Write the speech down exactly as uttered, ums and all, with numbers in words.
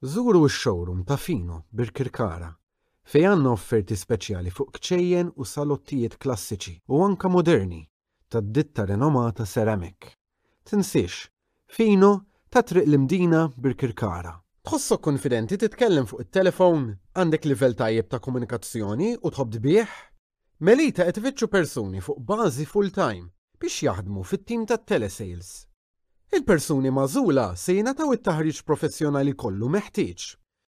Żuru x-showroom ta' Fino, Birkirkara, fejn għandna offerti speċjali fuq kċejjen u salottijiet klassiċi u anka moderni tad-ditta renomata Ceramic. Tinsiex, Fino ta' Triq l-Imdina, Birkirkara. Tħossok konfidenti titkellem fuq it-telefon, għandek livell tajjeb ta' komunikazzjoni u tħobb tbigħ? Melita qed ifittxu persuni fuq bażi full-time biex jaħdmu fit-tim tat-telesales. Il-persuni magħżula se jingħataw it-taħriġ professjonali kollu meħtieġ.